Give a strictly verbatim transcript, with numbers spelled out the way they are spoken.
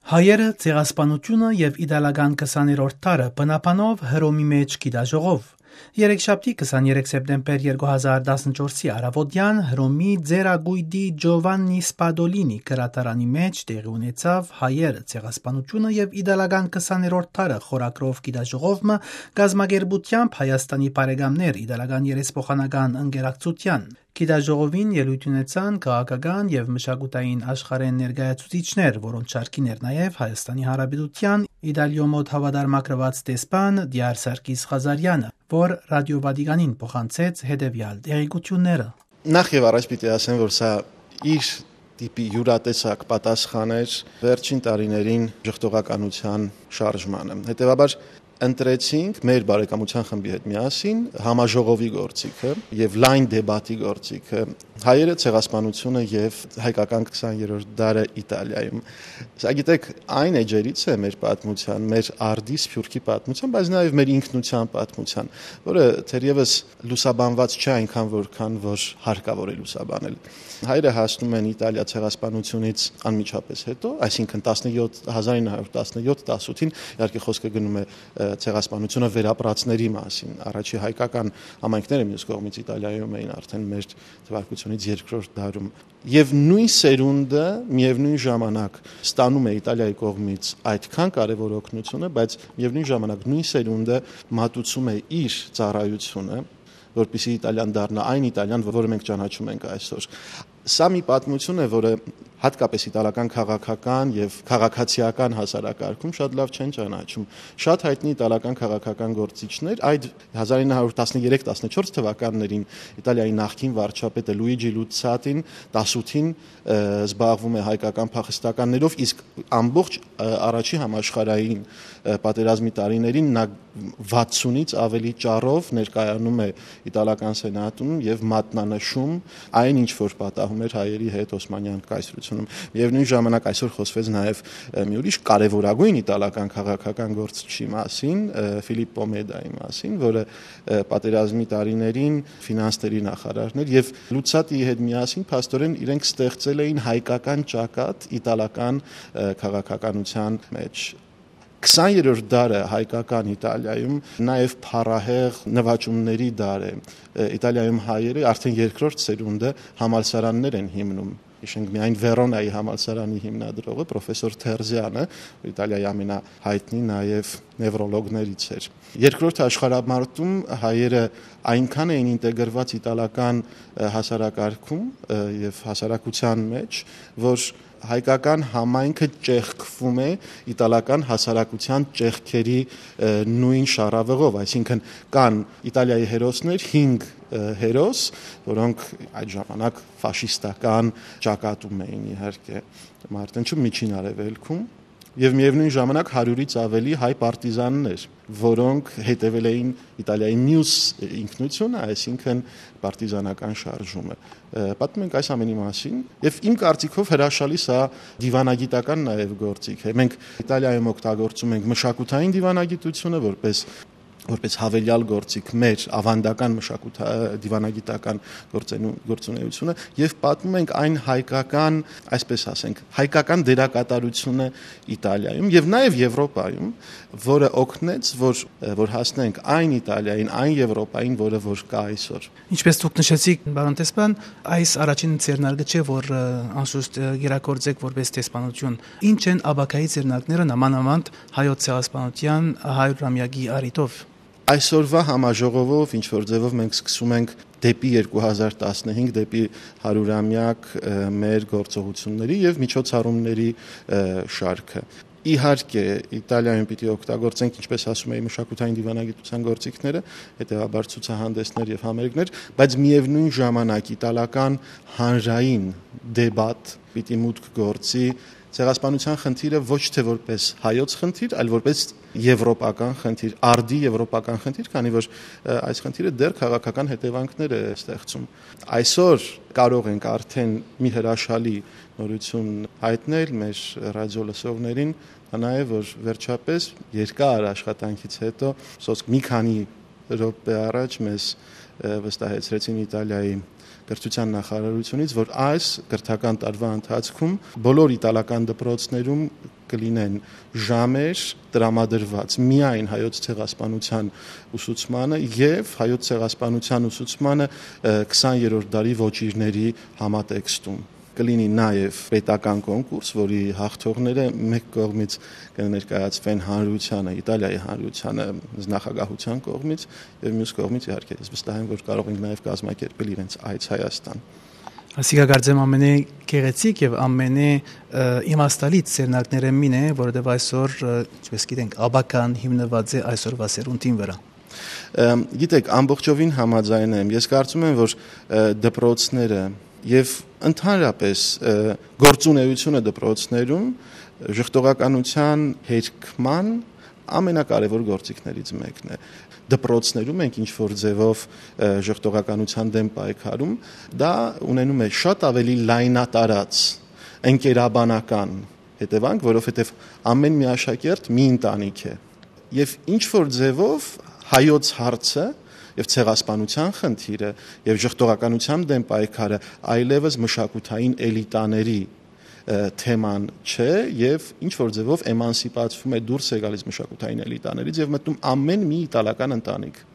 Հայերը, ցեղասպանութիւնը եւ իտալական քսաներորդ դարը, բնաբանով Հռոմի մէջ գիտաժողով։ Երեքշաբթի, քսաներեք սեպտեմբեր երկու հազար տասնչորսի առաւօտեան, Հռոմի Ձեռագոյտի Ջովաննի Սպադոլինի գրադարանի մէջ տեղի ունեցաւ Հայերը, ցեղասպանութիւնը եւ իտալական քսաներորդ դարը խորագրով գիտաժողով մը, կազմակերպութեամբ Հայաստանի բարեկամներ իտալական երեսփոխանական ընկերակցութեան։ Գիտաժողովին ելոյթ ունեցան քաղաքական եւ մշակութային աշխարհէն ներկայացուցիչներ, որոնց շարքին էր նաեւ Հայաստանի Հանրապետութեան Իտալիոյ մօտ հաւատարմագրուած դեսպան Դիար Սարգիս Ղազարեանը, որ Ռադիօ Վատիկանին փոխանցեց հետեւեալ տեղեկութիւնները։ Նախ եւ առաջ պիտի ասեմ, որ սա իր տիպի յուրատեսակ պատասխան էր վերջին տարիներին ժխտողականության շարժմանը։ Հետեւաբար, ընտրեցինք մեր բարեկամության խմբի հետ միասին համաժողովի գործիքը եւ լայն դեբատի գործիքը, Հայերը, ցեղասպանությունը եւ հայկական քսաներորդ դարը Իտալիայում։ Սա, գիտեք, այն էջերից է մեր պատմության, մեր արդի սփիւռքի պատմության, բայց նաեւ մեր ինքնության պատմության, որը թերեւս լուսաբանված չէ այնքան, որքան որ հարկաւոր է լուսաբանել։ Հայերը հասնում են Իտալիա ցեղասպանությունից անմիջապես հետո, այսինքն՝ տասնեթ, հազար ինը հարյուր տասնեթ, տասութին, իհարկե, խոսքը գնում է, ը, ցեղասպանությունը վերապրածների մասին։ Առաջի հայկական համայնքները մյուս կողմից Իտալիայում էին արդեն մեր թվարկությունից երկրորդ դարում։ Եւ նոյն սերունդը միեւնոյն ժամանակ ստանում է Իտալիայի կողմից այդքան կարեւոր օգնությունը, բայց միեւնոյն ժամանակ նոյն սերունդը մատուցում է իր ծառայությունը, որպեսզի Իտալիան դառնայ այն Իտալիան, որը մենք ճանաչում ենք այսօր։ Սա մի պատմություն է, որը հատկապես իտալական քաղաքական եւ քաղաքացիական հասարակարգում շատ լաւ չեն ճանաչում։ Շատ հայտնի իտալական քաղաքական գործիչներ, այդ հազար ինը հարյուր տասներեք, տասնեթ թվականներին Իտալիայի նախկին վարչապետը Լուիջի Լուցատին տասութին, ը, զբաղվում է հայկական փախստականներով, իսկ ամբողջ, ը, առաջի համաշխարհային, ը, պատերազմի տարիներին նա վաթսունից ավելի ճառով ներկայանում է իտալական սենատում եւ մատնանշում այն, ինչ որ պատահում էր հայերի հետ Օսմանյան կայսրությունում։ Միեւնոյն ժամանակ այսօր խոսվեց նաեւ, ը, մի ուրիշ կարեւորագույն իտալական քաղաքական գործչի մասին, ը, Ֆիլիպպո Մեդայի մասին, որը, ը, պատերազմի տարիներին ֆինանսների նախարարն էր եւ Լուցատիի հետ միասին փաստորեն իրենք ստեղծել էին հայկական ճակատ իտալական, ը, քաղաքականության մեջ։ Քսաներորդ դարը հայկական Իտալիայում նաեւ փառահեղ նվաճումների դար է։ Ը, Իտալիայում հայերը արդեն երկրորդ սերունդը համալսարաններ են հիմնում։ Հիշենք միայն Վերոնայի համալսարանի հիմնադրողը, պրոֆեսոր Թերզյանը, Իտալիայի ամենահայտնի նաեւ նեւրոլոգներից էր։ Երկրորդ աշխարհամարտում հայերը այնքան էին ինտեգրված իտալական, ը, հասարակարգում, ը, եւ հասարակության մեջ, որ հայկական համայնքը ճեղքվում է իտալական հասարակության ճեղքերի, ը, նոյն շարաւղով, այսինքն՝ կան Իտալիայի հերոսներ, հինգ, ը, հերոս, որոնք այդ ժամանակ ֆաշիստական ճակատում էին, իհարկե, Մարտենչում, Միջին Արեւելքում, եւ միեւնոյն ժամանակ հարիւրից աւելի հայ պարտիզաններ, որոնք հետեւել էին Իտալիայի միւս ինքնությունը, այսինքն՝ պարտիզանական շարժումը։ Ը, պատմում ենք այս ամենի մասին, եւ իմ կարծիքով հրաշալի սա դիվանագիտական նաեւ գործիք է։ Մենք Իտալիայում օգտագործում ենք մշակութային դիվանագիտությունը որպես, որպես հավելյալ գործիք մեր աւանդական մշակութա-, դիվանագիտական գործենու-, գործունեությունը, եւ պատմում ենք այն հայկական, այսպես ասենք, հայկական դերակատարությունը Իտալիայում եւ նաեւ Եվրոպայում, որը օգնեց, որ, որ հասնենք այն Իտալիային, այն Եվրոպային, որը որ կա այսօր։ Ինչպես դուք նշեցիք, պարոն դեսպան, այս առաջին ձեռնարկը չէ, որ, ը, անշուշտ, ը, կիրագործեք որպես դեսպանություն։ Ինչ են ապագայի ձեռնարկները, նամանավանդ հայոց ցեղասպանության հարյուրամեակի առիթով։ Այսօրվա համաժողովով ինչ որ ձևով մենք սկսում ենք դեպի երկու հազար տասնհինգ, դեպի հարյուրամեակ, ը, մեր գործողությունների եւ միջոցառումների, ը, շարքը։ Իհարկե, Իտալիայում պիտի օգտագործենք, ինչպես ասում էի, մշակութային դիվանագիտության գործիքները, հետեւաբար ցուցահանդեսներ եւ համերգներ, բայց միեւնոյն ժամանակ իտալական հանրային դեբատ պիտի մուտք գործի ցեղասպանության խնդիրը ոչ թե որպես հայոց խնդիր, այլ որպես եվրոպական խնդիր, արդի եվրոպական խնդիր, քանի որ, ը, այս խնդիրը դեռ քաղաքական հետեւանքներ է ստեղծում։ Այսօր կարող ենք արդեն մի հրաշալի նորություն հայտնել մեր ռադիո լսողներին, դա նաեւ, որ վերջապես երկար աշխատանքից հետո, սոսկ մի քանի րոպե առաջ մեզ, ը, վստահեցրեցին Իտալիայի կրթութեան նախարարութիւնից, որ այս կրթական տարուայ ընթացքում բոլոր իտալական դպրոցներում կը լինեն ժամեր տրամադրուած միայն հայոց ցեղասպանութեան ուսուցմանը եւ հայոց ցեղասպանութեան ուսուցմանը, ը, քսաներորդ դարի ոճիրների համատեքստում։ Կը լինի նաեւ պետական կոնկուրս, որի հաղթողները մէկ կողմից կը ներկայացվեն հանրությանը, Իտալիայի հանրությանը, նախագահութեան կողմից, եւ միւս կողմից, իհարկե, ես վստահ եմ, որ կարող ենք նաեւ կազմակերպել իրենց այց Հայաստան։ Ասիկա կարծեմ ամենէ գեղեցիկ եւ ամենէ, ը, իմաստալից ձեռնարկներէն մին է, որովհետեւ այսօր, ը, ինչպես գիտենք, աբական հիմնուած է այսօրվա սերունդին վրայ։ Ըմ, գիտեք, ամբողջովին համաձայն եմ։ Ես կարծում եմ, որ, ը, դպրոցները եւ ընդհանրապես, ը, գործունեությունը դպրոցներում ժխտողականության հերքման ամենակարևոր գործիքներից մեկն է։ Դպրոցներում ենք ինչ-որ ձևով, ը, ժխտողականության դէմ պայքարում, դա ունենում է շատ ավելի լայնատարած ընկերաբանական հետեւանք, որովհետեւ ամեն մի աշակերտ մի ընտանիք է։ Եւ ինչ-որ ձևով հայոց հարցը եւ ցեղասպանության խնդիրը եւ ժխտողականության դէմ պայքարը այլեւս մշակութային էլիտաների, ը, թեման չէ եւ ինչ-որ ձևով էմանսիպացվում է, դուրս է գալիս մշակութային էլիտաներից եւ մտնում ամեն մի իտալական ընտանիք։